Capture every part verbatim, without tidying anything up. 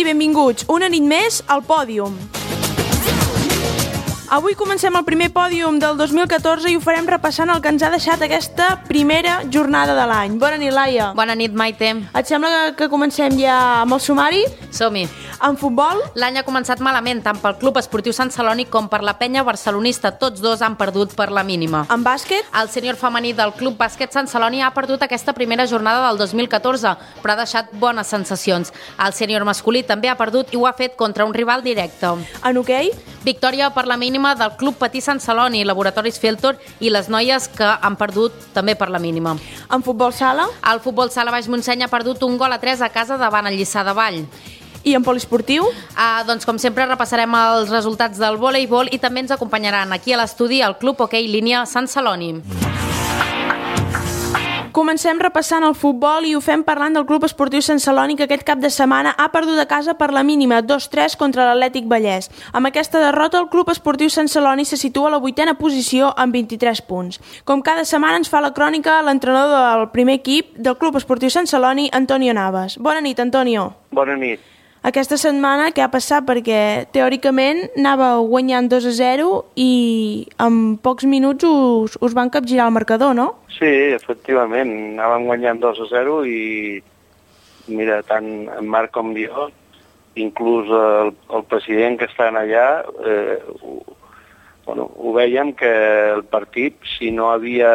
i benvinguts una nit més al Pòdium. Avui comencem el primer pòdium del dos mil catorze i ho farem repassant el que ens ha deixat aquesta primera jornada de l'any. Bona nit, Laia. Bona nit, Maite. Et sembla que comencem ja amb el sumari? Som-hi. En futbol? L'any ha començat malament, tant pel Club Esportiu Sant Celoni com per la penya barcelonista. Tots dos han perdut per la mínima. En bàsquet? El sènior femení del Club Bàsquet Sant Celoni ha perdut aquesta primera jornada del dos mil catorze, però ha deixat bones sensacions. El sènior masculí també ha perdut i ho ha fet contra un rival directe. En hoquei? Victòria per la mínima del Club Patí Sant Celoni, Laboratoris Filtor i les noies que han perdut també per la mínima. En futbol sala? El futbol sala Baix Montseny ha perdut un gol a tres a casa davant el Lliçà de Vall. I en poliesportiu? Ah, doncs com sempre repassarem els resultats del voleibol i també ens acompanyaran aquí a l'estudi el Club Hoquei Línia Sant Celoni. Comencem repassant el futbol i ho fem parlant del Club Esportiu Sant Celoni, que aquest cap de setmana ha perdut a casa per la mínima dos tres contra l'Atlètic Vallès. Amb aquesta derrota, el Club Esportiu Sant Celoni se situa a la vuitena posició amb vint-i-tres punts. Com cada setmana ens fa la crònica l'entrenador del primer equip del Club Esportiu Sant Celoni, Antonio Navas. Bona nit, Antonio. Bona nit. Aquesta setmana què ha passat? Perquè teòricament anava guanyant dos a zero i en pocs minuts us, us van capgirar el marcador, no? Sí, efectivament, anàvem guanyant dos a zero i mira, tant en Marc com jo, inclús el, el president que estan allà, eh, ho, bueno, ho veiem que el partit, si no havia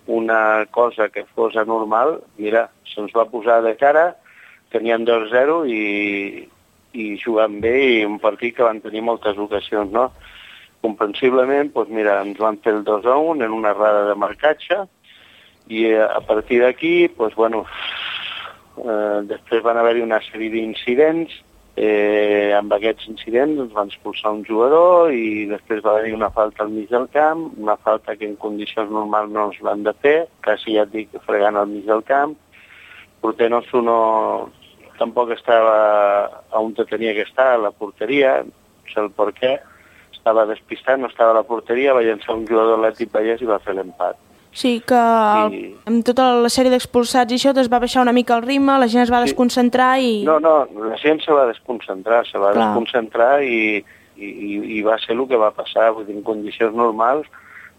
una cosa que fos anormal, mira, se'ns va posar de cara, tenien dos a zero i, i jugant bé i un partit que van tenir moltes ocasions, no? Comprensiblement, doncs mira, ens van fer el dos a un en una errada de marcatge i a partir d'aquí, doncs bueno, eh, després van haver-hi una sèrie d'incidents, eh, amb aquests incidents ens van expulsar un jugador i després va haver-hi una falta al mig del camp, una falta que en condicions normals no ens l'han de fer, quasi ja et dic fregant al mig del camp. El porter nostre no, tampoc estava on tenia que estar, a la porteria, no sé el per què, estava despistat, no estava a la porteria, va llançar un jugador de l'Atlètic Vallès i va fer l'empat. Sí, que el, I... amb tota la sèrie d'expulsats i això es va baixar una mica el ritme, la gent es va sí. desconcentrar i... No, no, la gent se va desconcentrar, se va Clar. desconcentrar i, i, i va ser el que va passar. Vull dir, en condicions normals,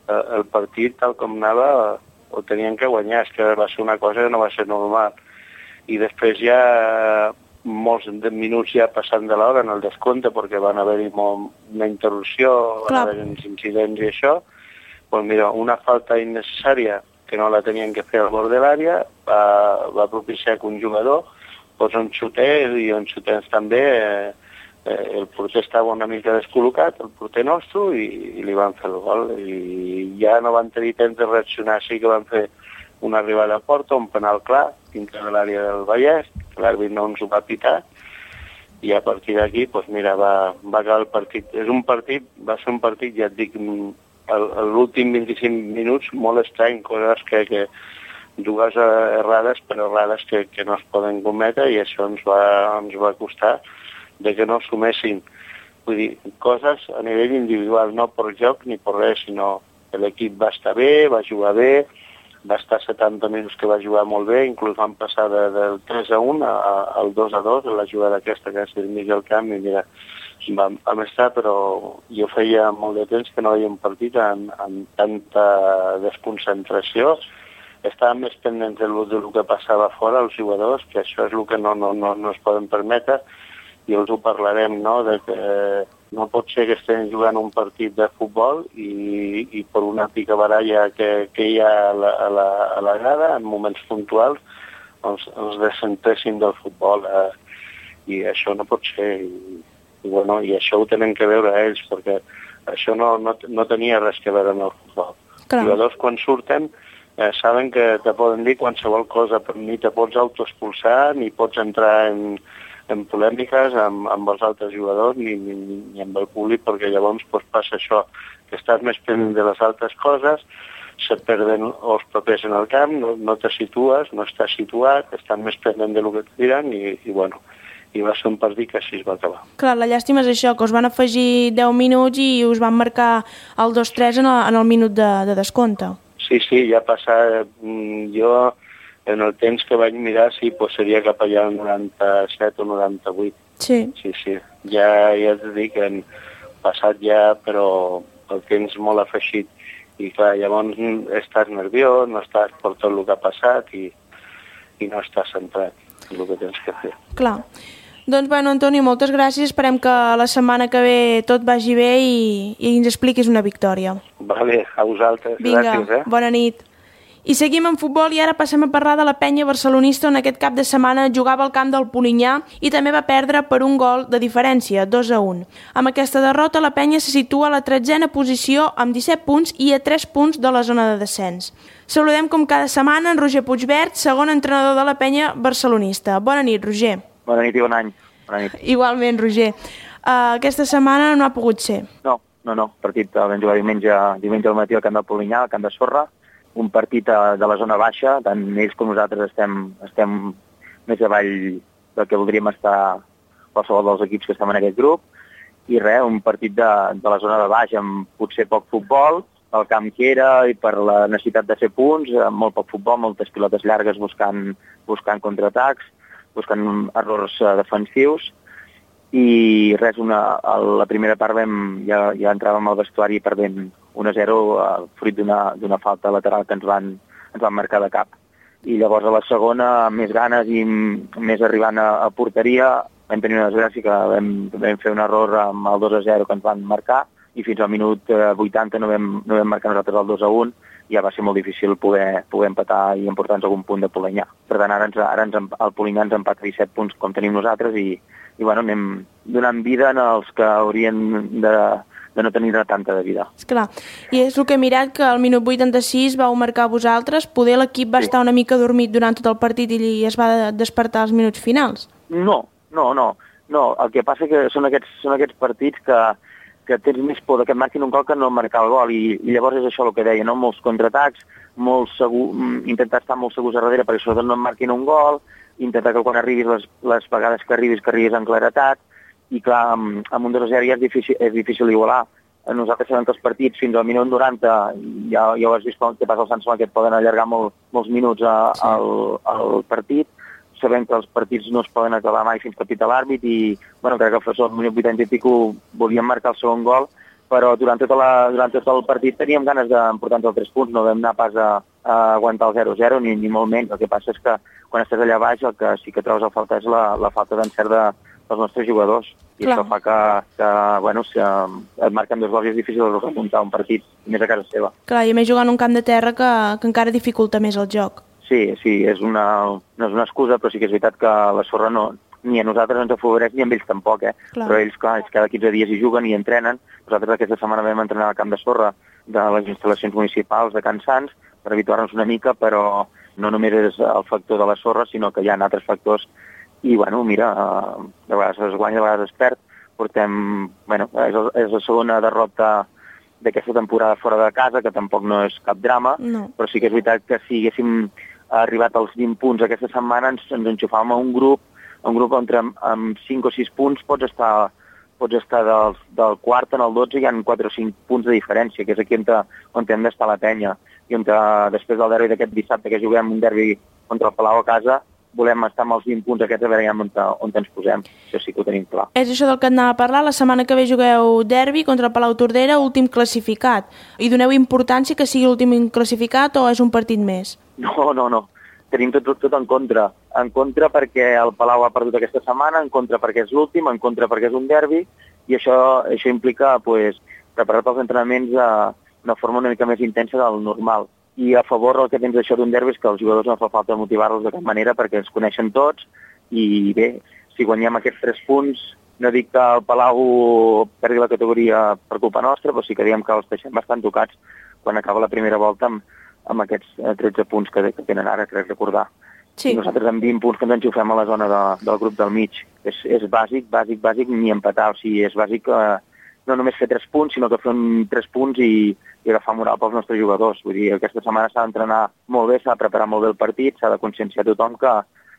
eh, el partit, tal com anava, ho tenien que guanyar, és que va ser una cosa que no va ser normal. I després ja molts minuts ja passant de l'hora en el descompte perquè van haver-hi una interrupció, van haver-hi uns incidents i això, doncs mira, una falta innecessària que no la tenien que fer al bord de l'àrea va, va propiciar que un jugador doncs un xuter i un xuter també eh, eh, el porter estava una mica descol·locat, el porter nostre, i, i li van fer el gol i ja no van tenir temps de reaccionar, sí que van fer una arribada a porta, un penal clar, dintre de l'àrea del Vallès, l'àrbit no ens ho va pitar, i a partir d'aquí, doncs mira, va, va acabar el partit. És un partit, va ser un partit, ja et dic, l'últim vint-i-cinc minuts, molt estrany, coses que, que dues errades, però errades que, que no es poden cometre, i això ens va, ens va costar de que no assumessin. Vull dir, coses a nivell individual, no per joc ni per res, sinó que l'equip va estar bé, va jugar bé, va estar setanta minuts que va jugar molt bé, inclús van passar de, del tres a un al dos a dos, en la jugada aquesta que és al mig del camp, i mira, vam, vam estar, però jo feia molt de temps que no veia un partit amb, amb tanta desconcentració. Estàvem més pendents del, del que passava fora, els jugadors, que això és el que no, no, no, no es poden permetre, i els ho parlarem, no?, de que no pot ser que estem jugant un partit de futbol i, i per una picabaralla que, que hi ha a la, a, la, a la grada, en moments puntuals, ens, ens descentressin del futbol. Eh, I això no pot ser. I, i, bueno, i això ho tenen que veure ells, perquè això no, no, no tenia res que veure amb el futbol. Els jugadors, quan surten, eh, saben que te poden dir qualsevol cosa, però ni te pots autoexpulsar, ni pots entrar en... en polèmiques amb, amb els altres jugadors ni, ni, ni amb el públic, perquè llavors pues, passa això, que estàs més pendent de les altres coses, se perden els papers en el camp, no, no te situes, no estàs situat, estan més pendent del que et diran i, i bueno, i va ser un partit que així es va acabar. Clar, la llàstima és això, que us van afegir deu minuts i us van marcar el dos tres en el, en el minut de, de descompte. Sí, sí, ja passa, jo en el temps que vaig mirar, sí, doncs seria cap allà al noranta-set o noranta-vuit. Sí. Sí, sí. Ja, ja t'he dit que han passat ja, però el temps molt afegit. I clar, llavors estàs nerviós, no estàs per tot el que ha passat i, i no estàs centrat en el que tens que fer. Clar. Doncs, bueno, Antoni, moltes gràcies. Esperem que la setmana que ve tot vagi bé i, i ens expliquis una victòria. Vale, a vosaltres. Vinga, gràcies, eh? Bona nit. I seguim en futbol i ara passem a parlar de la penya barcelonista on aquest cap de setmana jugava al camp del Polinyà i també va perdre per un gol de diferència, dos a un. Amb aquesta derrota la penya se situa a la tretzena posició amb disset punts i a tres punts de la zona de descens. Saludem com cada setmana en Roger Puigvert, segon entrenador de la penya barcelonista. Bona nit, Roger. Bona nit i bon any. Bona nit. Igualment, Roger. Uh, aquesta setmana no ha pogut ser. No, no, no. Partit el vam jugar diumenge, diumenge al matí al camp del Polinyà, al camp de sorra. Un partit de la zona baixa, tant ells com nosaltres estem, estem més avall del que voldríem estar qualsevol dels equips que estem en aquest grup, i res, un partit de, de la zona de baix amb potser poc futbol, el camp que era i per la necessitat de fer punts, amb molt poc futbol, moltes pilotes llargues buscant, buscant contraatacs, buscant errors defensius, i res, una, a la primera part vam, ja, ja entràvem al vestuari perdent un a zero uh, fruit d'una falta lateral que ens van, ens van marcar de cap. I llavors a la segona, més ganes i més arribant a, a porteria, vam tenir una desgràcia que vam, vam fer un error amb el dos a zero que ens van marcar i fins al minut uh, vuitanta no vam, no vam marcar nosaltres el dos a un i ja va ser molt difícil poder, poder empatar i emportar-nos algun punt de Polinyà. Per tant, ara, ens, ara ens, el Polinyà ens empata disset punts com tenim nosaltres i, i bueno, anem donant vida als que haurien de de no tenir tanta de vida. Esclar. I és el que he mirat, que al minut vuitanta-sis vau marcar vosaltres, poder l'equip va sí. estar una mica dormit durant tot el partit i es va despertar als minuts finals? No, no, no. no. El que passa que són aquests, són aquests partits que, que tens més por que et marquin un gol que no marcar el gol, i, i llavors és això el que deia, no? Molts contraatacs, molt segur, intentar estar molt segurs a darrere perquè sobretot no et marquin un gol, intentar que quan arribis, les, les vegades que arribis, que arribis en claretat, i clar, amb, amb un dos a zero ja és difícil, és difícil igualar. Nosaltres sabem que els partits fins al minut noranta, ja, ja ho has vist què passa al Sant Celoni, que et poden allargar molt, molts minuts a, sí. al, al partit. Sabem que els partits no es poden acabar mai fins que pita l'àrbit i, bueno, crec que el professor al minut vuitanta i pico volíem marcar el segon gol, però durant, tota la, durant tot el partit teníem ganes d'emportar-nos els tres punts, no vam anar pas a, a aguantar el zero a zero, ni, ni molt menys. El que passa és que quan estàs allà baix el que sí que trobes a falta és la, la falta d'encert de els nostres jugadors, i Clar. Això fa que, que bueno, si et marquen dos gols i és difícil remuntar un partit, més a casa seva. Clar, i a més jugant un camp de terra que, que encara dificulta més el joc. Sí, sí, és una, no és una excusa, però sí que és veritat que la sorra no, ni a nosaltres ens afavoreix, ni a ells tampoc, eh? Clar. Però ells, clar, cada quinze dies hi juguen i entrenen. Nosaltres aquesta setmana vam entrenar al camp de sorra de les instal·lacions municipals de Can Sants per habituar-nos una mica, però no només és el factor de la sorra, sinó que hi ha altres factors. I, bueno, mira, de vegades es guanya, de vegades es perd. Portem, bueno, és, és la segona derrota d'aquesta temporada fora de casa, que tampoc no és cap drama, no. Però sí que és veritat que si haguéssim arribat als vint punts aquesta setmana ens, ens enxufàvem a un grup, un grup on amb, amb cinc o sis punts pots estar, pots estar del, del quart en el dotze, hi ha quatre o cinc punts de diferència, que és aquí on, te, on hem d'estar la penya. I on te, després del derbi d'aquest dissabte que juguem un derbi contra el Palau a casa, volem estar amb els vint punts aquests a veure ja on, on ens posem. Això sí que ho tenim clar. És això del que et anava a parlar. La setmana que ve jugueu derbi contra el Palau Tordera, últim classificat. I doneu importància que sigui l'últim classificat o és un partit més? No, no, no. Tenim tot, tot, tot en contra. En contra perquè el Palau ha perdut aquesta setmana, en contra perquè és l'últim, en contra perquè és un derbi, i això, això implica pues, preparar els entrenaments d'una forma una mica més intensa del normal. I a favor el que tens d'això d'un derbi és que els jugadors no fa falta motivar-los de cap manera perquè es coneixen tots i bé, si guanyem aquests tres punts, no dic que el Palau perdi la categoria per culpa nostra, però sí que diem que els deixem bastant tocats quan acaba la primera volta amb, amb aquests tretze punts que, que tenen ara, crec recordar. Sí. I nosaltres amb vint punts que ens enxufem a la zona de, del grup del mig. És, és bàsic, bàsic, bàsic, ni empatar, o sigui, és bàsic eh, no només fer tres punts, sinó que fer un tres punts i, i agafar moral pels nostres jugadors. Vull dir, aquesta setmana s'ha d'entrenar molt bé, s'ha de preparar molt bé el partit, s'ha de conscienciar tothom que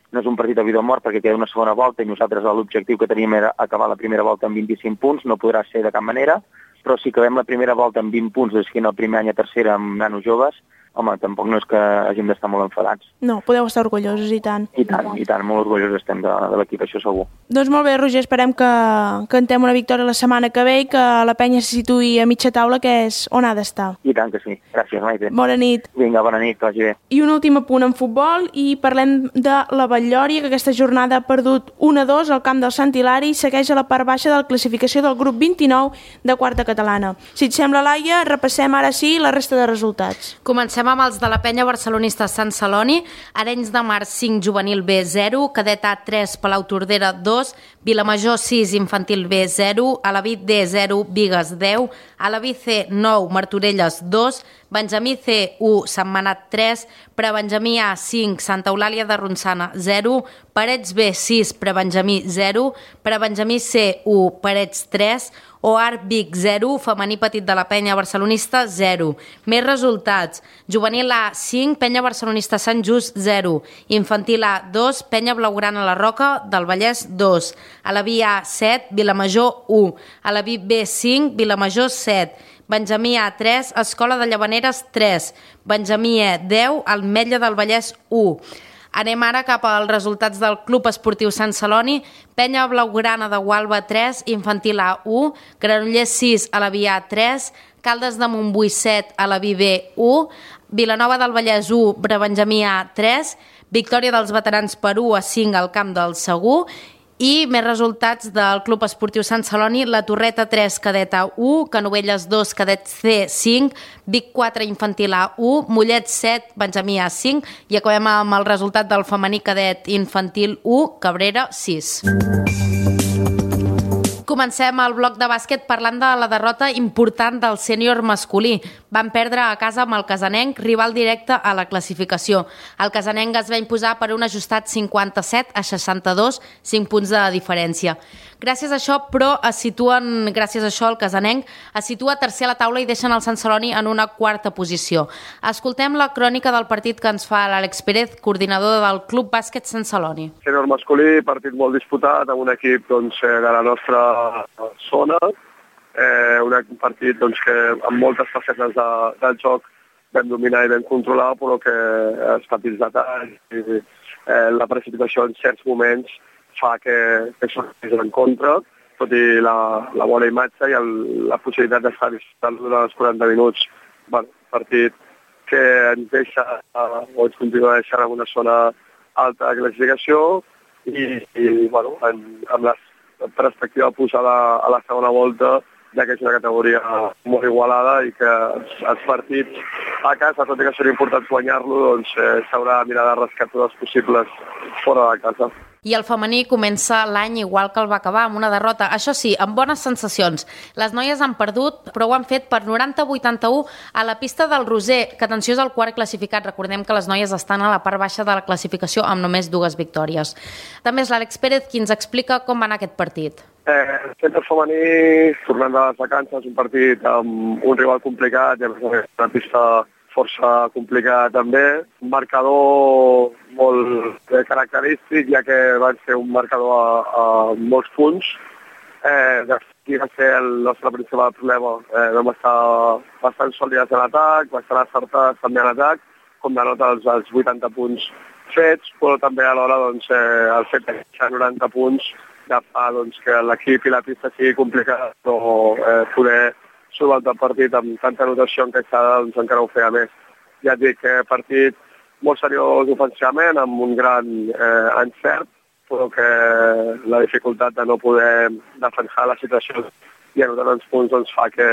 no és un partit de vida o mort perquè queda una segona volta i nosaltres l'objectiu que teníem era acabar la primera volta amb vint-i-cinc punts, no podrà ser de cap manera, però si acabem la primera volta amb vint punts, des que en el primer any a tercera amb nanos joves, home, tampoc no és que hàgim d'estar molt enfadats. No, podeu estar orgullosos, i tant. I tant, i tant, molt orgullosos estem de, de l'equip, això segur. Doncs molt bé, Roger, esperem que cantem una victòria la setmana que ve i que la penya se situï a mitja taula, que és on ha d'estar. I tant que sí. Gràcies, Maite. Bona nit. Vinga, bona nit, que vagi bé. I un últim apunt en futbol, i parlem de la Batllòria, que aquesta jornada ha perdut un a dos al camp del Sant Hilari i segueix a la part baixa de la classificació del grup vint-i-nou de quarta catalana. Si et sembla, Laia, repassem ara sí la resta de resultats. Comencem amb els de la penya barcelonista Sant Celoni. Arenys de Mar cinc, Juvenil B zero, Cadet A tres, Palau Tordera dos, Vilamajor sis, Infantil B zero, Alaví D zero, Bigues deu, Alaví C nou, Martorelles dos, Benjamí C u, Sentmenat tres, Prebenjamí A cinc, Santa Eulàlia de Ronçana zero, Parets B sis, Prebenjamí zero, Prebenjamí C u, Parets tres, O A R Vic zero, femení petit de la penya barcelonista zero. Més resultats: Juvenil A cinc, penya barcelonista Sant Just zero, Infantil A dos, penya blaugrana La Roca del Vallès dos, Alaví A set, Vilamajor u, Alaví B cinc, Vilamajor set, Benjamí A tres, Escola de Llavaneres tres, Benjamí E deu, Ametlla del Vallès u. Anem ara cap als resultats del Club Esportiu Sant Celoni. Penya blaugrana de Gualba tres, Infantil A u, Granollers sis, Alaví A tres, Caldes de Montbui set, Alaví B u, Vilanova del Vallès u, Prebenjamí A tres, victòria dels veterans per u a cinc al camp del Segur. I més resultats del Club Esportiu Sant Celoni: La Torreta tres, Cadet A u, Canovelles dos, Cadet C cinc, Vic quatre, Infantil A u, Mollet set, Benjamí A cinc, i acabem amb el resultat del femení cadet Infantil u, Cabrera sis. Comencem el bloc de bàsquet parlant de la derrota important del sènior masculí. Van perdre a casa amb el Casanenc, rival directe a la classificació. El Casanenc es va imposar per un ajustat cinquanta-set a seixanta-dos, cinc punts de diferència. Gràcies a això, però, es situen, gràcies a això, el Casanenc es situa tercer a la taula i deixen el Sant Celoni en una quarta posició. Escoltem la crònica del partit que ens fa l'Àlex Pérez, coordinador del Club Bàsquet Sant Celoni. Sènior masculí, partit molt disputat, amb un equip doncs, de la nostra zona, eh, un partit doncs, que amb moltes facetes de, del joc vam dominar i vam controlar, però que els petits detalls i eh, la precipitació en certs moments fa que, que sortís en contra, tot i la, la bona imatge i el, la possibilitat d'estar disfrutant durant els quaranta minuts. Bueno, partit que ens deixa, o ens continua deixant en una zona alta de classificació i, i bueno, en, amb la perspectiva posada a la segona volta, ja que és una categoria molt igualada i que els, els partits a casa, tot i que seria important guanyar-lo, doncs eh, s'haurà de mirar de rescatar tots els possibles fora de casa. I el femení comença l'any igual que el va acabar, amb una derrota. Això sí, amb bones sensacions. Les noies han perdut, però ho han fet per noranta a vuitanta-u a la pista del Roser, que atenció és el quart classificat. Recordem que les noies estan a la part baixa de la classificació amb només dues victòries. També és l'Àlex Pérez qui ens explica com va anar aquest partit. Eh, el centre femení, tornant de les vacances, un partit amb un rival complicat, i a més a més una pista força complicada també, un marcador molt característic, ja que van ser un marcador a, a molts punts. Eh, aquí va ser el nostre principal problema. Eh, vam estar bastant sòlides en atac, bastant acertats també en atac, com denota els, els vuitanta punts fets, però també alhora doncs, eh, el fet de deixar noranta punts ja fa doncs, que l'equip i la pista sigui complicat, però eh, poder solventar el partit amb tanta anotació encaixada, doncs encara ho feia més. Ja et dic que partit molt seriós ofensivament, amb un gran eh, encert, però que la dificultat de no poder defensar la situació i anotar els punts doncs, fa que,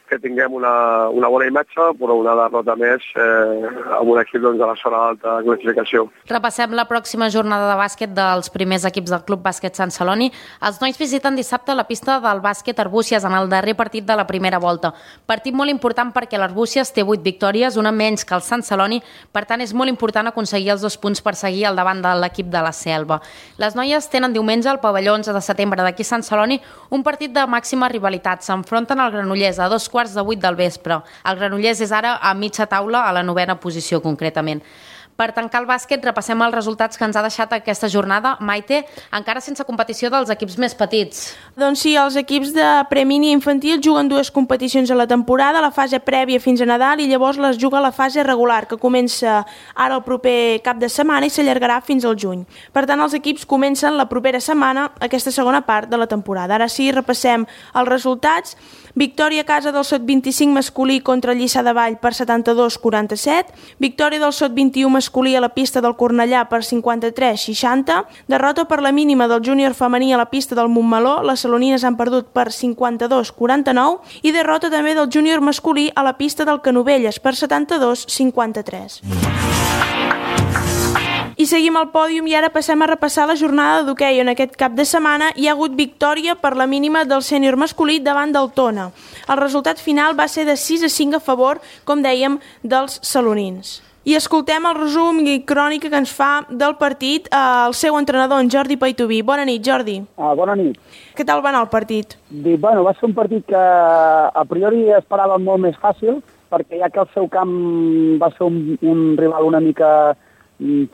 que tinguem una, una bona imatge, però una derrota més eh, amb un equip doncs, de la zona alta de classificació. Repassem la pròxima jornada de bàsquet dels primers equips del Club Bàsquet Sant Celoni. Els nois visiten dissabte la pista del bàsquet Arbúcies en el darrer partit de la primera volta. Partit molt important perquè l'Arbúcies té vuit victòries, una menys que el Sant Celoni, per tant és molt important aconseguir els dos punts per seguir al davant de l'equip de la Selva. Les noies tenen diumenge al pavelló onze de setembre d'aquí Sant Celoni un partit de màxima rivalitat. S'enfronten al Granollers a dos quarts de vuit del vespre. El Granollers és ara a mitja taula, a la novena posició concretament. Per tancar el bàsquet, repassem els resultats que ens ha deixat aquesta jornada. Maite, encara sense competició dels equips més petits. Doncs sí, els equips de premini infantil juguen dues competicions a la temporada, la fase prèvia fins a Nadal i llavors les juga la fase regular, que comença ara el proper cap de setmana i s'allargarà fins al juny. Per tant, els equips comencen la propera setmana aquesta segona part de la temporada. Ara sí, repassem els resultats. Victòria a casa del Sot vint-i-cinc masculí contra el Lliçà de Vall per setanta-dos a quaranta-set. Victòria del Sot vint-i-u masculí a la pista del Cornellà per cinquanta-tres a seixanta. Derrota per la mínima del júnior femení a la pista del Montmeló. Les salonines han perdut per cinquanta-dos a quaranta-nou. I derrota també del júnior masculí a la pista del Canovelles per setanta-dos a cinquanta-tres. I seguim al pòdium i ara passem a repassar la jornada d'hoquei. En aquest cap de setmana hi ha hagut victòria per la mínima del sènior masculí davant del Tona. El resultat final va ser de sis a cinc a favor, com dèiem, dels salonins. I escoltem el resum i crònica que ens fa del partit el seu entrenador, en Jordi Paitoví. Bona nit, Jordi. Ah, bona nit. Què tal va anar el partit? Dic, bueno, va ser un partit que a priori esperàvem molt més fàcil, perquè ja que el seu camp va ser un, un rival una mica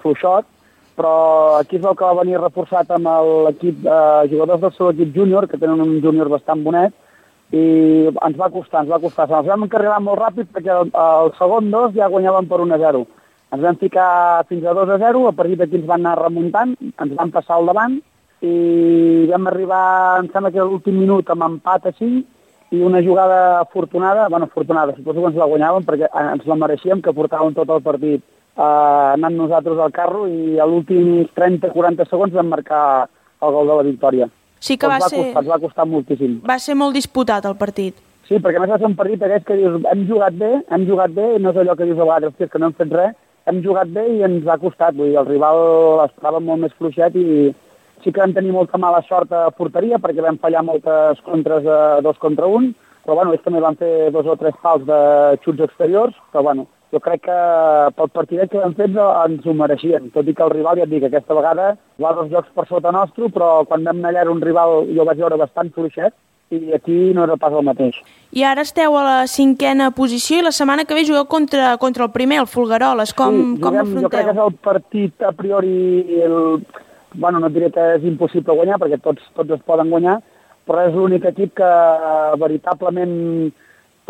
fluixot, però aquí es veu que va venir reforçat amb l'equip eh, jugadors del seu equip júnior, que tenen un júnior bastant bonet, i ens va costar, ens va costar. Ens vam encarrilar molt ràpid perquè el, el segon dos ja guanyaven per un a zero. Ens vam ficar fins a dos a zero, a partir d'aquí ens van anar remuntant, ens van passar al davant i vam arribar, em sembla que a l'últim minut amb empat a cinc i una jugada afortunada, bueno, afortunada, suposo que ens la guanyàvem perquè ens la mereixíem, que portàvem tot el partit Uh, anant nosaltres al carro i a l'últim trenta a quaranta segons vam marcar el gol de la victòria. Sí que va, va ser... costar, ens va costar moltíssim. Va ser molt disputat el partit. Sí, perquè a més va ser un partit aquest que dius, hem jugat bé, hem jugat bé, i no és allò que dius a vegades, que no hem fet res, hem jugat bé i ens ha costat. Vull dir, el rival estava molt més fluixet i sí que vam tenir molta mala sort a porteria perquè vam fallar moltes contres a dos contra un, però bueno, ells també van fer dos o tres pals de xuts exteriors, però bueno, jo crec que pel partidet que vam fer ens ho mereixien, tot i que el rival, ja et dic, aquesta vegada va dos jocs per sota nostre, però quan vam anar allà era un rival, jo vaig veure bastant fluixet, i aquí no era pas el mateix. I ara esteu a la cinquena posició i la setmana que ve jugueu contra, contra el primer, el Folgueroles. Com, sí, juguem, com afronteu? Jo crec que és el partit a priori, el, bueno, no et diré que és impossible guanyar, perquè tots, tots es poden guanyar, però és l'únic equip que veritablement,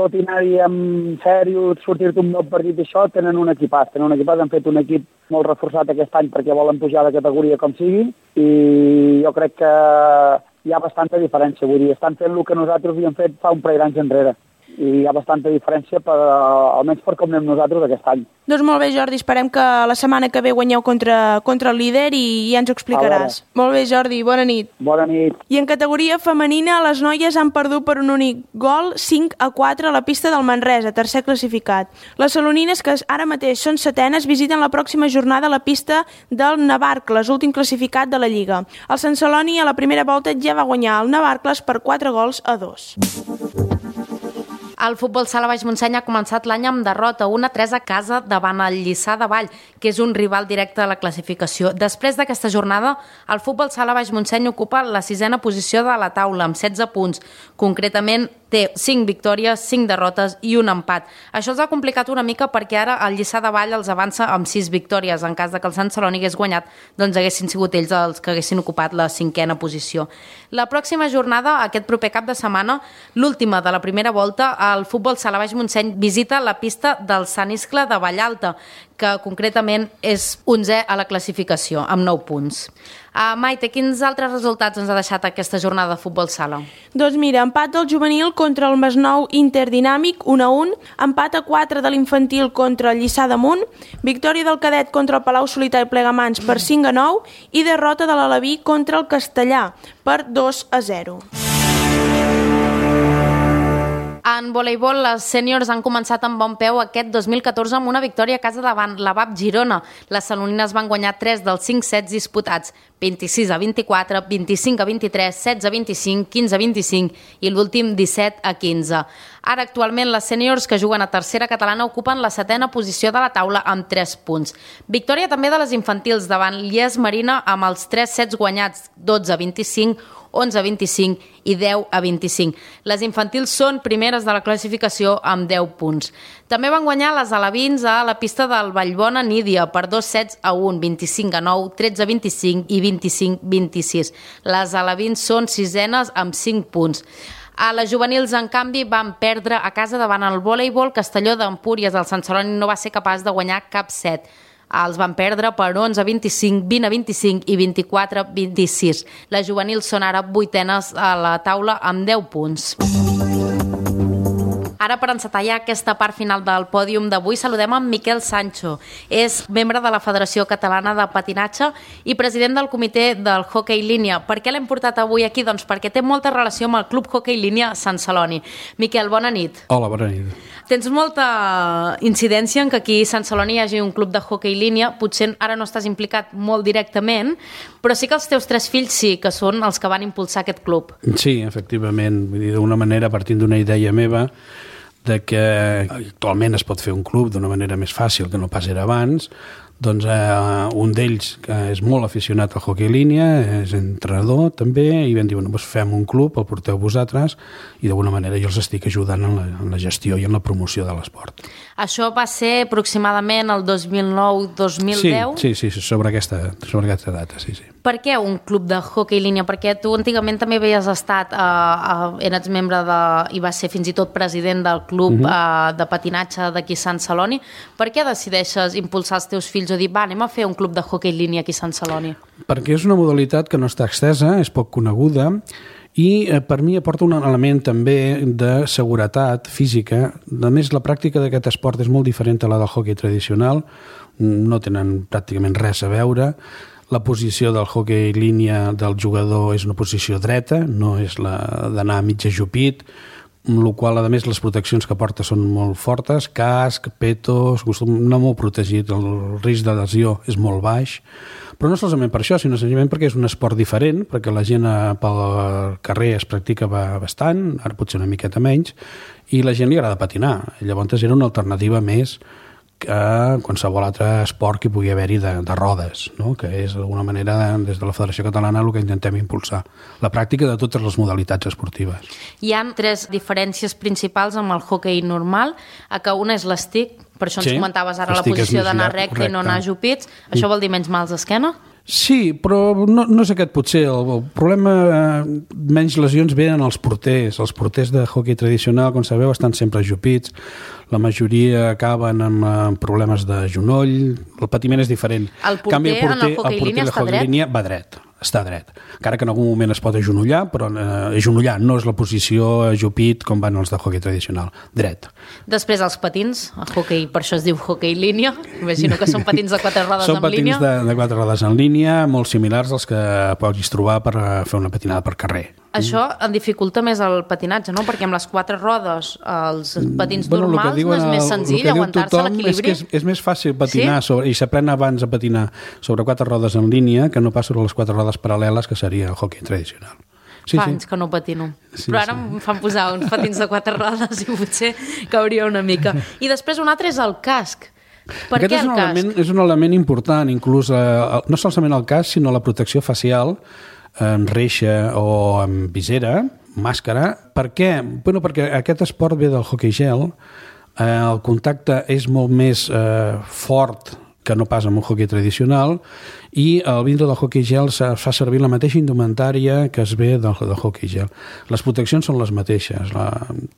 tot i anar-hi amb sèrio, sortir-te un nou partit d'això, tenen un equipàs. Tenen un equipàs, han fet un equip molt reforçat aquest any perquè volen pujar de categoria com sigui, i jo crec que hi ha bastanta diferència. Vull dir, estan fent el que nosaltres havíem fet fa un parell d'anys enrere. I hi ha bastanta diferència, per, almenys per com anem nosaltres aquest any. Doncs molt bé, Jordi, esperem que la setmana que ve guanyeu contra, contra el líder i ja ens ho explicaràs. Molt bé, Jordi, bona nit. Bona nit. I en categoria femenina, les noies han perdut per un únic gol, cinc a quatre a la pista del Manresa, tercer classificat. Les salonines, que ara mateix són setenes, visiten la pròxima jornada a la pista del Navarcles, últim classificat de la Lliga. El Sant Celoni a la primera volta ja va guanyar el Navarcles per quatre gols a dos. El futbol sala Baix Montseny ha començat l'any amb derrota un a tres a casa davant el Lliçà de Vall, que és un rival directe a la classificació. Després d'aquesta jornada, el futbol sala Baix Montseny ocupa la sisena posició de la taula, amb setze punts. Concretament, té cinc victòries, cinc derrotes i un empat. Això els ha complicat una mica perquè ara el Lliçà de Vall els avança amb sis victòries. En cas de que el Sant Celoni hagués guanyat, doncs haguessin sigut ells els que haguessin ocupat la cinquena posició. La pròxima jornada, aquest proper cap de setmana, l'última de la primera volta, el futbol sala Baix Montseny visita la pista del Sant Iscle de Vallalta, que concretament és onzè a la classificació, amb nou punts. Uh, Maite, quins altres resultats ens ha deixat aquesta jornada de futbol sala? Doncs mira, empat del juvenil contra el Masnou Interdinàmic, un a un, empat a quatre de l'infantil contra el Lliçà d'Amunt, victòria del cadet contra el Palau Solità i Plegamans per cinc a nou i derrota de l'Alaví contra el Castellà per dos a zero. En voleibol, les sèniors han començat amb bon peu aquest dos mil catorze amb una victòria a casa davant la V A P Girona. Les salonines van guanyar tres dels cinc sets disputats, vint-i-sis a vint-i-quatre, vint-i-cinc a vint-i-tres, setze a vint-i-cinc, quinze a vint-i-cinc i l'últim disset a quinze. Ara, actualment, les sèniors que juguen a tercera catalana ocupen la setena posició de la taula amb tres punts. Victòria també de les infantils davant l'I E S Marina amb els tres sets guanyats, dotze a vint-i-cinc, onze a vint-i-cinc i deu a vint-i-cinc. Les infantils són primeres de la classificació amb deu punts. També van guanyar les alevins a la pista del Vallbona Nídia per dos sets a un, vint-i-cinc a nou, tretze a vint-i-cinc i vint-i-cinc a vint-i-sis. Les alevins són sisenes amb cinc punts. A les juvenils, en canvi, van perdre a casa davant el voleibol Castelló d'Empúries. El Sant Celoni no va ser capaç de guanyar cap set. Els van perdre per onze a vint-i-cinc, vint a vint-i-cinc i vint-i-quatre a vint-i-sis. Les juvenils són ara vuitenes a la taula amb deu punts. Ara, per encetar ja aquesta part final del pòdium d'avui, saludem en Miquel Sancho. És membre de la Federació Catalana de Patinatge i president del comitè del hoquei línia. Per què l'hem portat avui aquí? Doncs perquè té molta relació amb el Club Hoquei Línia Sant Celoni. Miquel, bona nit. Hola, bona nit. Tens molta incidència en que aquí a Sant Celoni hi hagi un club de hoquei línia. Potser ara no estàs implicat molt directament, però sí que els teus tres fills sí, que són els que van impulsar aquest club. Sí, efectivament. Vull dir, d'una manera, partint d'una idea meva, de que actualment es pot fer un club d'una manera més fàcil que no pas era abans, doncs eh, un d'ells, que és molt aficionat al hoquei línia, és entrenador també, i vam dir, bueno, doncs fem un club, el porteu vosaltres, i d'alguna manera jo els estic ajudant en la, en la gestió i en la promoció de l'esport. Això va ser aproximadament el dos mil nou dos mil deu? Sí, sí, sí, sobre aquesta, sobre aquesta data, sí, sí. Per què un club de hoquei línia? Perquè tu antigament també havies estat, eh, eh, eres membre de, i vas ser fins i tot president del club uh-huh. eh, de patinatge d'aquí a Sant Celoni. Per què decideixes impulsar els teus fills o dir, va, anem a fer un club de hoquei línia aquí a Sant Celoni? Perquè és una modalitat que no està extesa, és poc coneguda, i eh, per mi aporta un element també de seguretat física. A més, la pràctica d'aquest esport és molt diferent a la del hoquei tradicional, no tenen pràcticament res a veure. La posició del hoquei línia del jugador és una posició dreta, no és la d'anar mig ajupit, amb la qual, a més, les proteccions que porta són molt fortes, casc, petos, no molt protegit, el risc de lesió és molt baix, però no solament per això, sinó senzillament perquè és un esport diferent, perquè la gent pel carrer es practica bastant, ara potser una miqueta menys, i la gent li agrada patinar. Llavors era una alternativa més que qualsevol altre esport que pugui haver-hi de, de rodes, no? Que és d'alguna manera des de la Federació Catalana el que intentem impulsar, la pràctica de totes les modalitats esportives. Hi ha tres diferències principals amb el hoquei normal, a que una és l'estic, per això ens sí, comentaves ara la posició d'anar recte i no anar ajupits. Això vol dir menys mals d'esquena? Sí, però no, no és aquest potser. El, el problema, eh, menys lesions venen als porters. Els porters de hoquei tradicional, com sabeu, estan sempre ajupits. La majoria acaben amb, amb problemes de genoll. El patiment és diferent. El porter, canvi, el porter en el hoquei línia està dret? Línia va dret, està dret. Encara que en algun moment es pot agenollar, però eh, agenollar no és la posició ajupit com van els de hoquei tradicional. Dret. Després els patins, el hoquei, per això es diu hoquei línia. Imagino que són patins de quatre rodes són en línia. Són patins de, de quatre rodes en línia, molt similars als que puguis trobar per fer una patinada per carrer. Això en dificulta més el patinatge, no? Perquè amb les quatre rodes, els patins bueno, normals, no és més senzill aguantar-se l'equilibri? És que és, és més fàcil patinar, sí? sobre, i s'aprèn abans a patinar sobre quatre rodes en línia que no pas sobre les quatre rodes paral·leles, que seria el hoquei tradicional. Sí, fa sí. anys que no patino. Sí, però ara sí. em fan posar uns patins de quatre rodes i potser cauria una mica. I després un altre és el casc. Per Aquest què el casc? Element, és un element important, inclús eh, no solament el casc, sinó la protecció facial, en reixa o en visera, màscara. Per què? Bueno, perquè aquest esport ve del hoquei gel, eh, el contacte és molt més eh, fort que no pas amb un hoquei tradicional, i al vindre del hoquei gel es fa servir la mateixa indumentària que es ve del, del hoquei gel. Les proteccions són les mateixes, la,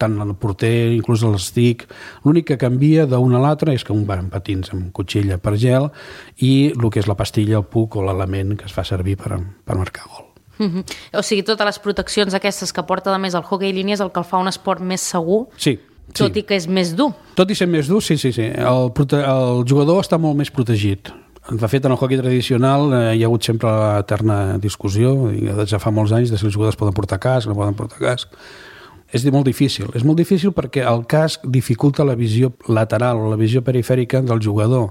tant el porter, inclús l'estic. L'únic que canvia d'un a l'altre és que un va amb patins amb cotxilla per gel i el que és la pastilla, el puc o l'element que es fa servir per, per marcar gol. Mm-hmm. O sigui, totes les proteccions aquestes que porta a més el hoquei línia és el que el fa un esport més segur? Sí. Tot sí. i que és més dur. Tot i ser més dur, sí, sí, sí. El, prote- el jugador està molt més protegit. De fet, en el hoquei tradicional eh, hi ha hagut sempre l'eterna discussió, i ja fa molts anys, de si els jugadors poden portar casc, no poden portar casc. És molt difícil. És molt difícil perquè el casc dificulta la visió lateral o la visió perifèrica del jugador.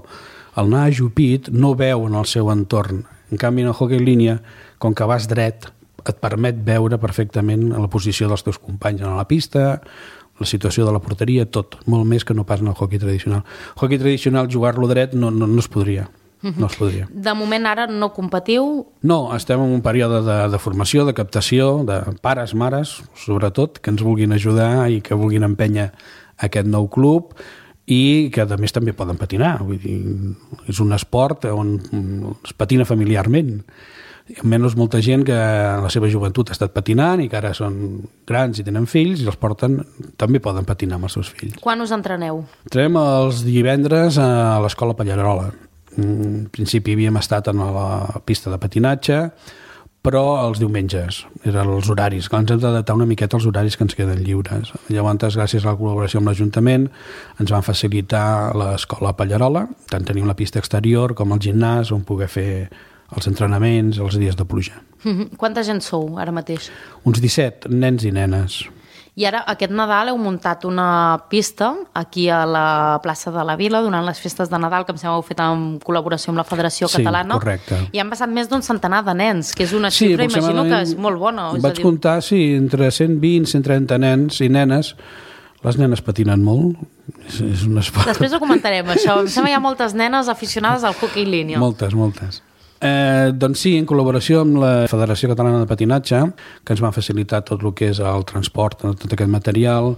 El anar ajupit no veu en el seu entorn. En canvi, en el hoquei línia, com que vas dret, et permet veure perfectament la posició dels teus companys a la pista, la situació de la porteria, tot, molt més que no pas en el hoquei tradicional. El hoquei tradicional, jugar-lo dret no, no, no es podria. no es podria. De moment ara no competiu? No, estem en un període de, de formació, de captació, de pares, mares, sobretot, que ens vulguin ajudar i que vulguin empènyer aquest nou club i que a més també poden patinar. Vull dir, és un esport on es patina familiarment. Almenys molta gent que en la seva joventut ha estat patinant i que ara són grans i tenen fills i els porten, també poden patinar amb els seus fills. Quan us entreneu? Entrenem els divendres a l'Escola Pallarola. En principi havíem estat a la pista de patinatge, però els diumenges eren els horaris. Ens hem d'adaptar una miqueta als horaris que ens queden lliures. Llavors, gràcies a la col·laboració amb l'Ajuntament, ens van facilitar l'Escola Pallarola, tant tenim la pista exterior com el gimnàs on poder fer els entrenaments, els dies de pluja. Mm-hmm. Quanta gent sou ara mateix? Uns disset, nens i nenes. I ara, aquest Nadal, heu muntat una pista aquí a la plaça de la Vila durant les festes de Nadal, que em sembla que heu fet en col·laboració amb la Federació sí, Catalana. Sí, correcte. I han passat més d'un centenar de nens, que és una sí, xifra, imagino que és molt bona. Vaig dir... comptar, sí, entre cent vint i cent trenta nens i nenes. Les nenes patinen molt. És, és un esport. Després ho comentarem, això. Em sembla que hi ha moltes nenes aficionades al hoquei línia. Moltes, moltes. Eh, doncs sí, en col·laboració amb la Federació Catalana de Patinatge, que ens van facilitar tot el que és el transport, tot aquest material,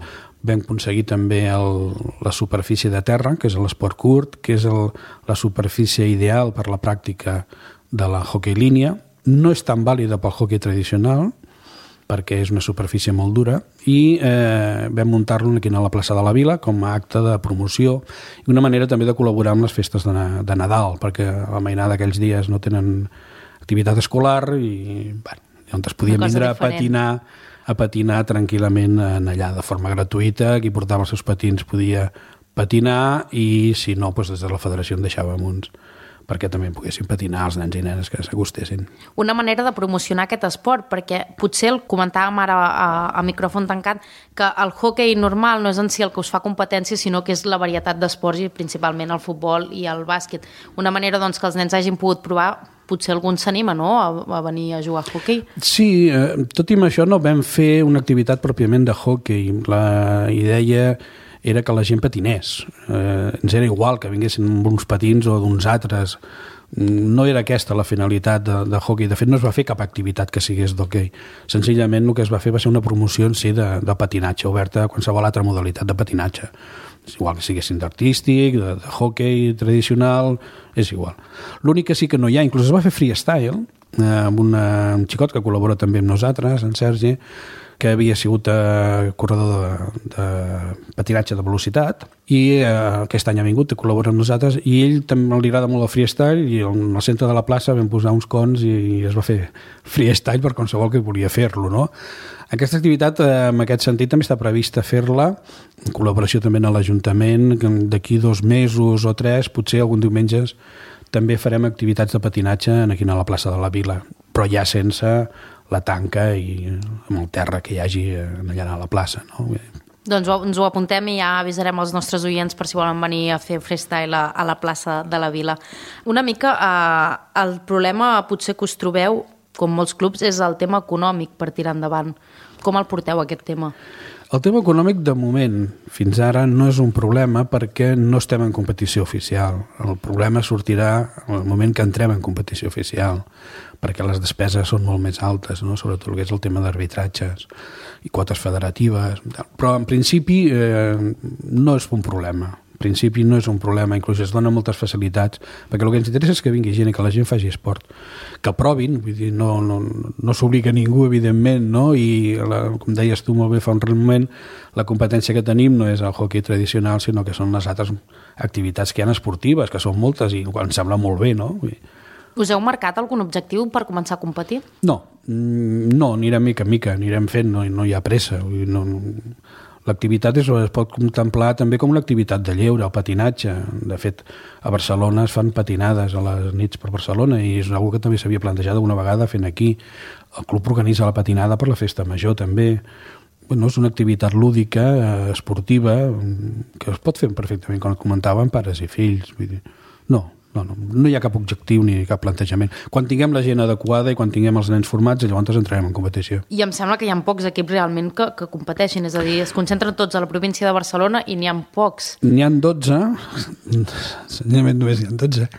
vam aconseguir també el, la superfície de terra, que és l'esport curt, que és el, la superfície ideal per la pràctica de la hoquei línia. No és tan vàlida pel hoquei tradicional, perquè és una superfície molt dura, i eh, vam muntar-lo aquí a la plaça de la Vila com a acte de promoció i una manera també de col·laborar amb les festes de, de Nadal, perquè la mainada d'aquells dies no tenen activitat escolar i bueno, on es podien vindre a patinar, a patinar tranquil·lament en allà de forma gratuïta, qui portava els seus patins podia patinar i si no, doncs des de la federació en deixàvem uns perquè també poguessin patinar els nens i nenes que s'acostessin. Una manera de promocionar aquest esport, perquè potser el comentàvem ara a, a micròfon tancat, que el hoquei normal no és en si el que us fa competència, sinó que és la varietat d'esports i principalment el futbol i el bàsquet. Una manera doncs, que els nens hagin pogut provar, potser algun s'anima, no?, a, a venir a jugar a hoquei. Sí, eh, tot i amb això no vam fer una activitat pròpiament de hoquei. La idea era que la gent patinés. Eh, ens era igual que vinguessin amb uns patins o d'uns altres. No era aquesta la finalitat de, de hoquei. De fet, no es va fer cap activitat que sigués d'hoquei. Senzillament el que es va fer va ser una promoció en si de, de patinatge, oberta a qualsevol altra modalitat de patinatge. És igual que siguessin d'artístic, de, de hoquei tradicional, és igual. L'únic que sí que no hi ha, inclús es va fer freestyle, eh, amb una, un xicot que col·labora també amb nosaltres, en Sergi, que havia sigut eh, corredor de, de patinatge de velocitat i eh, aquest any ha vingut a col·laborar amb nosaltres i ell també li agrada molt el freestyle i al centre de la plaça vam posar uns cons i es va fer freestyle per qualsevol que volia fer-lo, no? Aquesta activitat, eh, en aquest sentit, també està prevista fer-la en col·laboració també amb l'Ajuntament, d'aquí dos mesos o tres, potser algun diumenges també farem activitats de patinatge aquí a la plaça de la Vila, però ja sense la tanca i amb el terra que hi hagi allà a la plaça, no? Doncs ens ho apuntem i ja avisarem els nostres oients per si volen venir a fer freestyle a, a la plaça de la Vila. Una mica eh, el problema potser que us trobeu, com molts clubs, és el tema econòmic per tirar endavant. Com el porteu, aquest tema? El tema econòmic, de moment, fins ara, no és un problema perquè no estem en competició oficial. El problema sortirà en el moment que entrem en competició oficial, perquè les despeses són molt més altes, no? Sobretot el que és el tema d'arbitratges i quotes federatives. Però, en principi, eh, no és un problema. En principi no és un problema, inclús es donen moltes facilitats, perquè el que ens interessa és que vingui gent i que la gent faci esport, que provin, vull dir, no, no, no s'obliga ningú, evidentment, no? I, la, com deies tu molt bé fa un moment, la competència que tenim no és el hoquei tradicional, sinó que són les altres activitats que hi ha esportives, que són moltes i em sembla molt bé, no? Vull dir, us heu marcat algun objectiu per començar a competir? No, no, anirem mica en mica, anirem fent, no, no hi ha pressa. Vull dir, no, l'activitat es, es pot contemplar també com una activitat de lleure, el patinatge. De fet, a Barcelona es fan patinades a les nits per Barcelona i és una cosa que també s'havia plantejat alguna vegada fent aquí. El club organitza la patinada per la festa major també. Bueno, és una activitat lúdica, esportiva, que es pot fer perfectament, com comentàvem, pares i fills. Vull dir, no, no, no, no hi ha cap objectiu ni cap plantejament. Quan tinguem la gent adequada i quan tinguem els nens formats, llavors entrarem en competició. I em sembla que hi ha pocs equips realment que, que competeixin, és a dir, es concentren tots a la província de Barcelona i n'hi ha pocs. N'hi ha dotze, senzillament només n'hi ha dotze.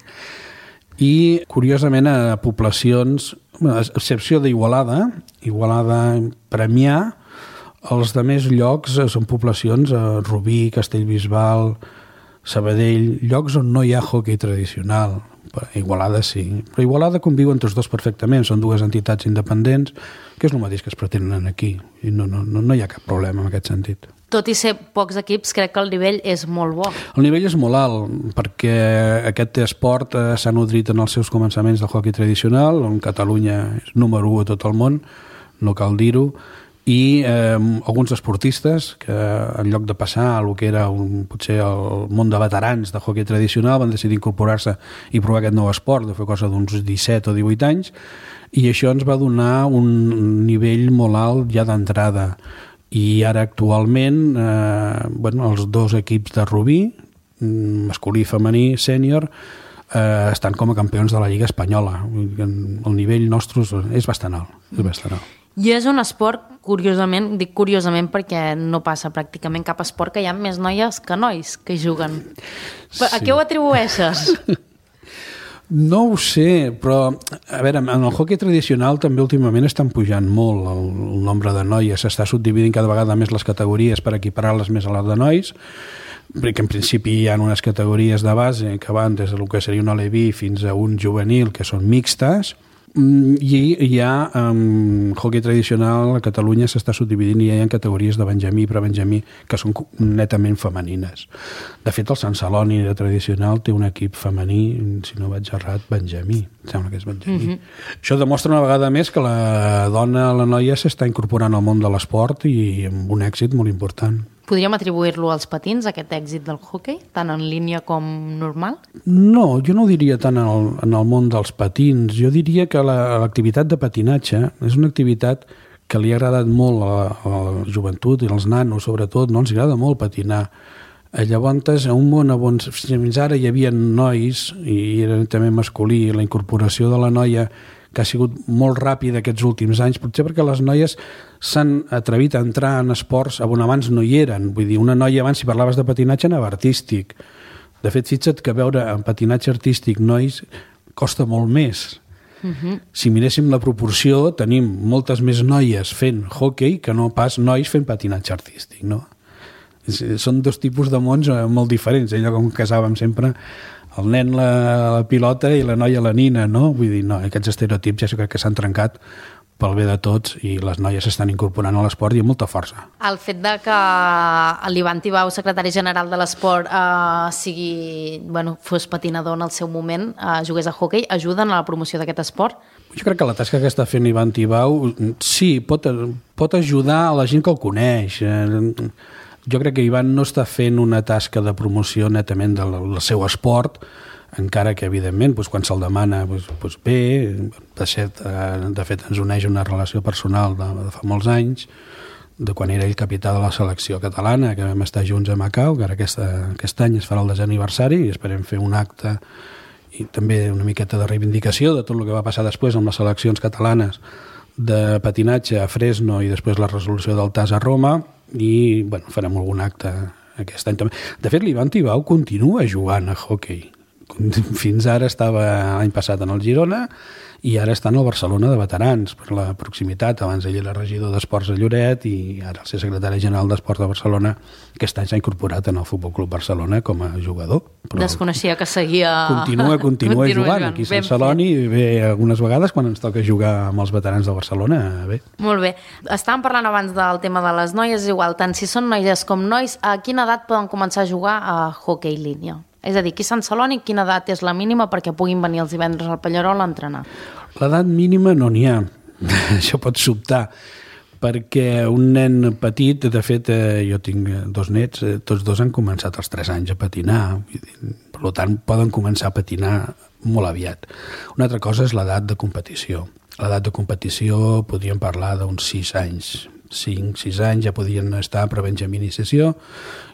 I, curiosament, a poblacions, a excepció d'Igualada, Igualada, Premià, els de més llocs són poblacions a Rubí, Castellbisbal, Sabadell, llocs on no hi ha hoquei tradicional. Igualada sí, però Igualada conviuen tots dos perfectament, són dues entitats independents, que és el mateix que es pretenen aquí, i no, no, no hi ha cap problema en aquest sentit. Tot i ser pocs equips, crec que el nivell és molt bo. El nivell és molt alt, perquè aquest esport s'ha nodrit en els seus començaments del hoquei tradicional, on Catalunya és número u a tot el món, no cal dir-ho, i eh, alguns esportistes que en lloc de passar el que era un, potser el món de veterans de hoquei tradicional van decidir incorporar-se i provar aquest nou esport, de fer cosa d'uns disset o divuit anys, i això ens va donar un nivell molt alt ja d'entrada. I ara actualment eh, bueno, els dos equips de Rubí, masculí i femení sènior, eh, estan com a campions de la Lliga Espanyola. El nivell nostre és bastant alt, és bastant alt. I és un esport, curiosament, dic curiosament perquè no passa pràcticament cap esport que hi ha més noies que nois que hi juguen. Sí. A què ho atribueixes? No ho sé, però a veure, en el hoquei tradicional també últimament estan pujant molt el, el nombre de noies, s'està subdividint cada vegada més les categories per equiparar-les més a les de nois, perquè en principi hi ha unes categories de base que van des del que seria un aleví fins a un juvenil que són mixtes, i hi ha um, hoquei tradicional a Catalunya s'està subdividint i hi ha categories de benjamí i prebenjamí que són netament femenines. De fet, el Sant Celoni de tradicional té un equip femení, si no vaig errat, benjamí. Em sembla que és benjamí. Mm-hmm. Això demostra una vegada més que la dona, la noia, s'està incorporant al món de l'esport i amb un èxit molt important. Podríem atribuir-lo als patins, aquest èxit del hoquei, tant en línia com normal? No, jo no ho diria tant en el, en el món dels patins. Jo diria que la, l'activitat de patinatge és una activitat que li ha agradat molt a la, a la joventut i als nanos, sobretot, no? Els agrada molt patinar. Llavors, a un món on fins ara hi havia nois, i era també masculí, la incorporació de la noia que ha sigut molt ràpida aquests últims anys, potser perquè les noies s'han atrevit a entrar en esports on abans no hi eren. Vull dir, una noia abans, si parlaves de patinatge, anava artístic. De fet, fixa't que veure en patinatge artístic nois costa molt més. Uh-huh. Si miréssim la proporció, tenim moltes més noies fent hoquei que no pas nois fent patinatge artístic, no? Són dos tipus de mons molt diferents. Allò com casàvem sempre el nen la, la pilota i la noia la nina, no? Vull dir, no, aquests estereotips ja crec que s'han trencat pel bé de tots i les noies s'estan incorporant a l'esport i amb molta força. El fet de que l'Ivan Tibau, secretari general de l'esport, eh, sigui, bueno, fos patinador en el seu moment, eh, jugués a hoquei, ajuden a la promoció d'aquest esport? Jo crec que la tasca que està fent Ivan Tibau, sí, pot, pot ajudar a la gent que el coneix. Jo crec que Ivan no està fent una tasca de promoció netament del, del seu esport, encara que, evidentment, doncs, quan se'l demana, doncs, doncs bé, de fet, de fet ens uneix una relació personal de, de fa molts anys, de quan era ell capità de la selecció catalana, que vam estar junts a Macau, que ara aquesta, aquest any es farà el desè aniversari i esperem fer un acte i també una miqueta de reivindicació de tot el que va passar després amb les seleccions catalanes de patinatge a Fresno i després la resolució del T A S a Roma, i bueno, farem algun acte aquest any també. De fet, l'Ivan Tibau continua jugant a hoquei. Fins ara estava l'any passat en el Girona i ara està en el Barcelona de veterans per la proximitat. Abans ell era regidor d'Esports a Lloret i ara el ser secretari general d'Esports de Barcelona, aquest any s'ha incorporat en el Futbol Club Barcelona com a jugador. Però desconeixia que seguia... Continua, continua, continua jugant. jugant. Aquí a Sant Celoni ve algunes vegades quan ens toca jugar amb els veterans de Barcelona. Bé. Molt bé. Estàvem parlant abans del tema de les noies, igual, tant si són noies com nois, a quina edat poden començar a jugar a hoquei línia? És a dir, aquí a Sant Celoni, quina edat és la mínima perquè puguin venir els divendres al Pallerol a entrenar? L'edat mínima no n'hi ha. Això pot sobtar, perquè un nen petit, de fet, jo tinc dos nets, tots dos han començat als tres anys a patinar, per tant, poden començar a patinar molt aviat. Una altra cosa és l'edat de competició. L'edat de competició podríem parlar d'uns sis anys, cinc, sis anys ja podien estar per benjamí iniciació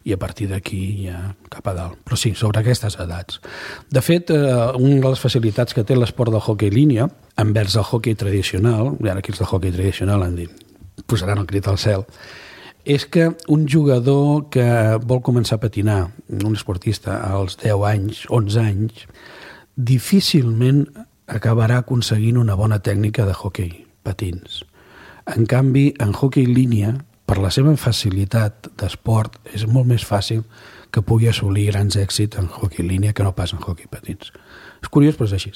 i a partir d'aquí ja cap a dalt. Però sí, sobre aquestes edats. De fet, eh, una de les facilitats que té l'esport del hoquei línia envers el hoquei tradicional, i ara aquí els del hoquei tradicional han dit, posaran el crit al cel, és que un jugador que vol començar a patinar, un esportista als deu anys, onze anys, difícilment acabarà aconseguint una bona tècnica de hoquei patins. En canvi, en hoquei línia, per la seva facilitat d'esport, és molt més fàcil que pugui assolir grans èxits en hoquei línia que no pas en hoquei patins. És curiós, però és així.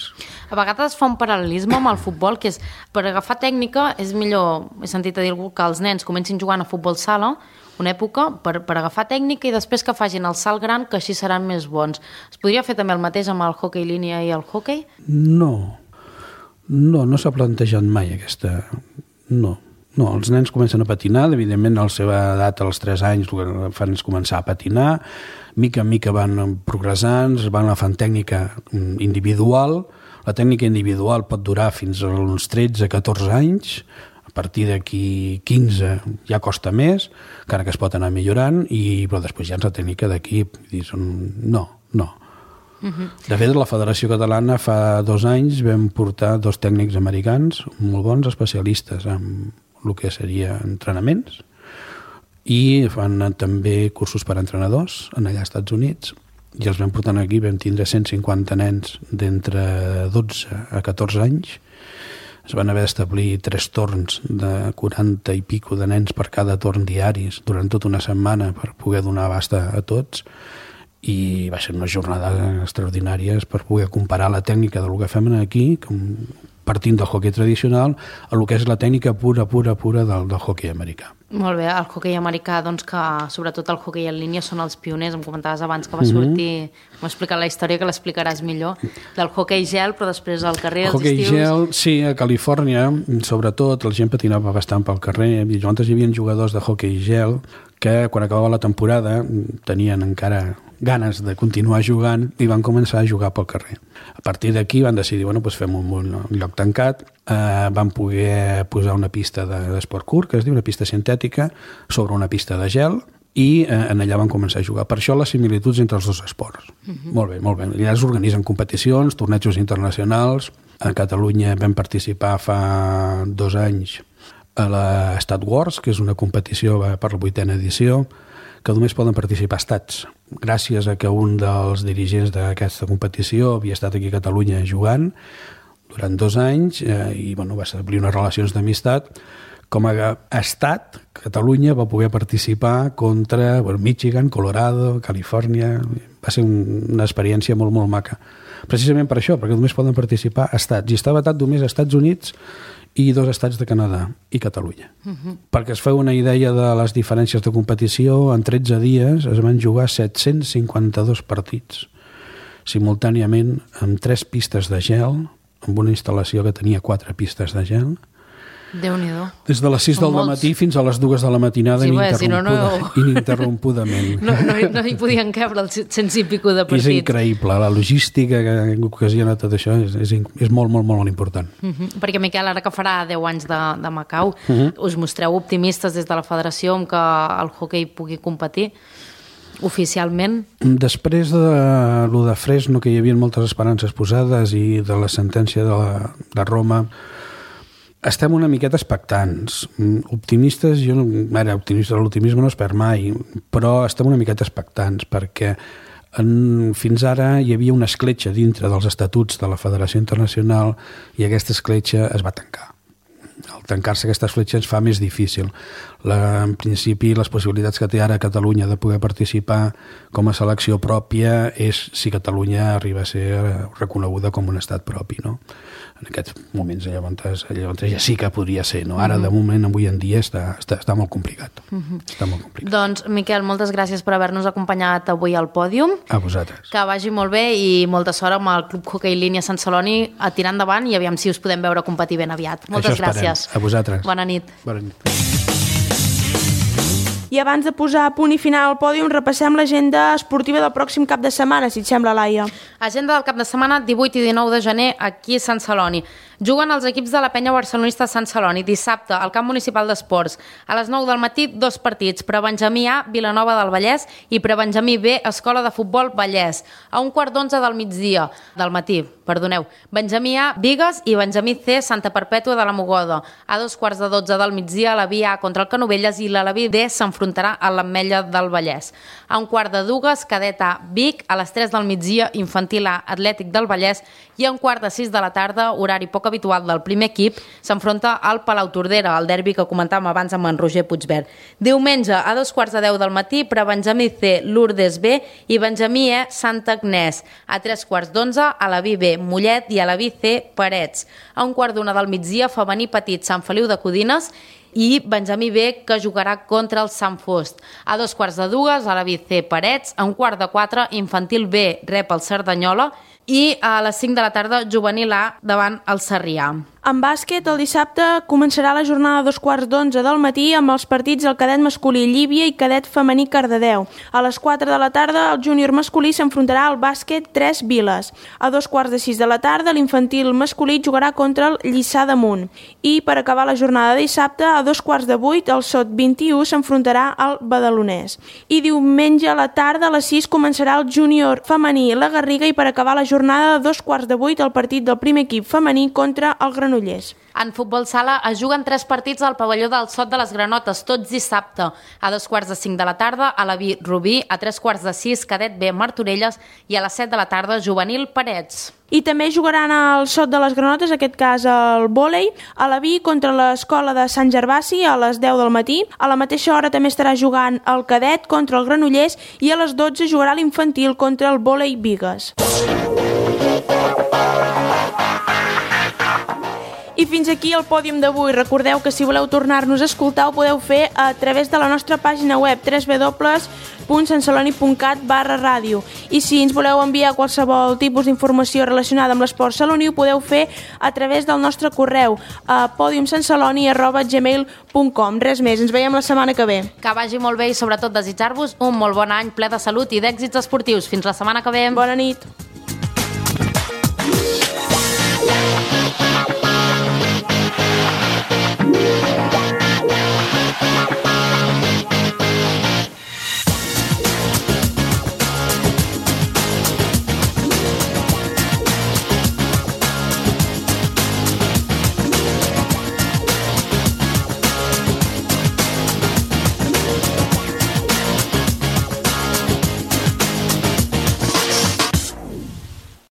A vegades fa un paral·lelisme amb el futbol, que és, per agafar tècnica, és millor, he sentit a dir algú, que els nens comencin jugant a futbol sala, una època, per, per agafar tècnica, i després que facin el salt gran, que així seran més bons. Es podria fer també el mateix amb el hoquei línia i el hoquei? No, no, no s'ha plantejat mai aquesta... No. No, els nens comencen a patinar, evidentment a la seva edat, als tres anys, el que fan és començar a patinar, mica en mica van progressant, van agafant tècnica individual, la tècnica individual pot durar fins a uns tretze a catorze anys, a partir d'aquí quinze ja costa més, encara que es pot anar millorant, i, però després ja és la tècnica d'equip. No, no. Uh-huh. De fet, la Federació Catalana fa dos anys vam portar dos tècnics americans molt bons, especialistes en el que seria entrenaments, i fan també cursos per a entrenadors en allà als Estats Units, i els vam portar aquí, vam tindre cent cinquanta nens d'entre dotze a catorze anys. Es van haver d'establir tres torns de quaranta i pico de nens per cada torn diaris durant tota una setmana per poder donar abast a tots, i va ser unes jornades extraordinàries per poder comparar la tècnica del que fem aquí, partint del hoquei tradicional, a el que és la tècnica pura, pura, pura del, del hoquei americà. Molt bé, el hoquei americà, doncs que sobretot el hoquei en línia són els pioners. Em comentaves abans que va sortir, mm-hmm. m'ha explicat la història, que l'explicaràs millor, del hoquei gel, però després al carrer, els hoquei estius... Gel, sí, a Califòrnia, sobretot, la gent patinava bastant pel carrer, i llavors hi havia jugadors de hoquei gel que quan acabava la temporada tenien encara ganes de continuar jugant i van començar a jugar pel carrer. A partir d'aquí van decidir, bueno, doncs fem un, un lloc tancat, eh, van poder posar una pista d'esport curt, que es diu una pista sintètica, sobre una pista de gel, i eh, en allà van començar a jugar. Per això les similituds entre els dos esports. Uh-huh. Molt bé, molt bé. I allà es organitzen competicions, tornejos internacionals. A Catalunya vam participar fa dos anys a la Stat Wars, que és una competició per la vuitena edició, que només poden participar estats. Gràcies a que un dels dirigents d'aquesta competició havia estat aquí a Catalunya jugant durant dos anys eh, i bueno, va establir unes relacions d'amistat. Com a estat, Catalunya va poder participar contra bueno, Michigan, Colorado, Califòrnia. Va ser un, una experiència molt, molt maca. Precisament per això, perquè només poden participar estats. I està vetat només als Estats Units i dos estats de Canadà i Catalunya. Uh-huh. Perquè es feu una idea de les diferències de competició, en tretze dies es van jugar set-cents cinquanta-dos partits simultàniament amb tres pistes de gel, amb una instal·lació que tenia quatre pistes de gel. Déu-n'hi-do. Des de les sis del matí fins a les dues de la matinada, sí, ininterrompuda, si no, no... ininterrompudament. No, no, no hi podien cabre els cent i pico de partits. És increïble, la logística que ocasiona tot això és, és, és molt, molt, molt important. Uh-huh. Perquè, Miquel, ara que farà deu anys de, de Macau, uh-huh. us mostreu optimistes des de la federació amb que el hoquei pugui competir oficialment? Després de lo de Fresno, que hi havia moltes esperances posades, i de la sentència de, la, de Roma, estem una miqueta expectants. Optimistes, jo no, ara, optimista, l'optimisme no es perd mai, però estem una miqueta expectants perquè en, fins ara hi havia una escletxa dintre dels estatuts de la Federació Internacional i aquesta escletxa es va tancar. Al tancar-se aquesta escletxa ens fa més difícil. La, en principi, les possibilitats que té ara Catalunya de poder participar com a selecció pròpia és si Catalunya arriba a ser reconeguda com un estat propi, no? En aquests moments llavors, llavors ja sí que podria ser, no? Ara, de moment, avui en dia, està, està, està molt complicat. Uh-huh. Està molt complicat. Doncs, Miquel, moltes gràcies per haver-nos acompanyat avui al pòdium. A vosaltres. Que vagi molt bé i molta sort amb el Club Hoquei Línia Sant Celoni a tirar endavant i aviam si us podem veure competir ben aviat. Moltes gràcies. A vosaltres. Bona nit. Bona nit. I abans de posar punt i final al pòdium, repassem l'agenda esportiva del pròxim cap de setmana, si et sembla, Laia. Agenda del cap de setmana, divuit i dinou de gener, aquí a Sant Celoni. Juguen els equips de la penya barcelonista Sant Celoni dissabte al camp municipal d'esports. A les nou del matí, dos partits, Prebenjamí A, Vilanova del Vallès, i Prebenjamí B, Escola de Futbol Vallès. A un quart d'onze del migdia del matí, perdoneu, Benjamí A, Bigues i Benjamí C, Santa Perpètua de la Mogoda. A dos quarts de dotze del migdia, l'Alaví A contra el Canovelles i l'Alaví D s'enfrontarà a l'Ametlla del Vallès. A un quart de dues, Cadet A, Vic, a les tres del migdia, Infantil A, Atlètic del Vallès, i a un quart de sis de la tarda, horari poc habitual del primer equip, s'enfronta al Palautordera, el derbi que comentàvem abans amb en Roger Puigverd. Diumenge, a dos quarts de deu del matí, per a Benjamí C, Lourdes B i Benjamí E, Santa Agnès. A tres quarts d'onze, Alaví B, Mollet i Alaví C, Parets. A un quart d'una del migdia, Femení Petit, Sant Feliu de Codines i Benjamí B, que jugarà contra el Sant Fost. A dos quarts de dues, Alaví C, Parets. A un quart de quatre, Infantil B, rep el Cerdanyola. I a les cinc de la tarda, Juvenil A davant el Sarrià. En bàsquet, el dissabte començarà la jornada a dos quarts d'onze del matí amb els partits del cadet masculí Llívia i cadet femení Cardedeu. A les quatre de la tarda, el júnior masculí s'enfrontarà al bàsquet Tres Viles. A dos quarts de sis de la tarda, l'infantil masculí jugarà contra el Lliçà d'Amunt. I per acabar la jornada de dissabte, a dos quarts de vuit, el Sot vint i u s'enfrontarà al Badalonès. I diumenge a la tarda, a les sis, començarà el júnior femení La Garriga i per acabar la jornada de dos quarts de vuit, el partit del primer equip femení contra el Granollers. En futbol sala es juguen tres partits al pavelló del Sot de les Granotes, tots dissabte. A dos quarts de cinc de la tarda, Alaví Rubí, a tres quarts de sis, Cadet B, Martorelles, i a les set de la tarda, Juvenil Parets. I també jugaran al Sot de les Granotes, en aquest cas el vòlei, a Alaví contra l'escola de Sant Gervasi a les deu del matí. A la mateixa hora també estarà jugant el cadet contra el Granollers i a les dotze jugarà l'infantil contra el vòlei Bigues. I fins aquí el pòdium d'avui. Recordeu que si voleu tornar-nos a escoltar ho podeu fer a través de la nostra pàgina web w w w punt santceloni punt cat barra ràdio. I si ens voleu enviar qualsevol tipus d'informació relacionada amb l'esport saloní ho podeu fer a través del nostre correu a podiumsantceloni arroba gmail punt com. Res més, ens veiem la setmana que ve. Que vagi molt bé i sobretot desitjar-vos un molt bon any ple de salut i d'èxits esportius. Fins la setmana que ve. Bona nit.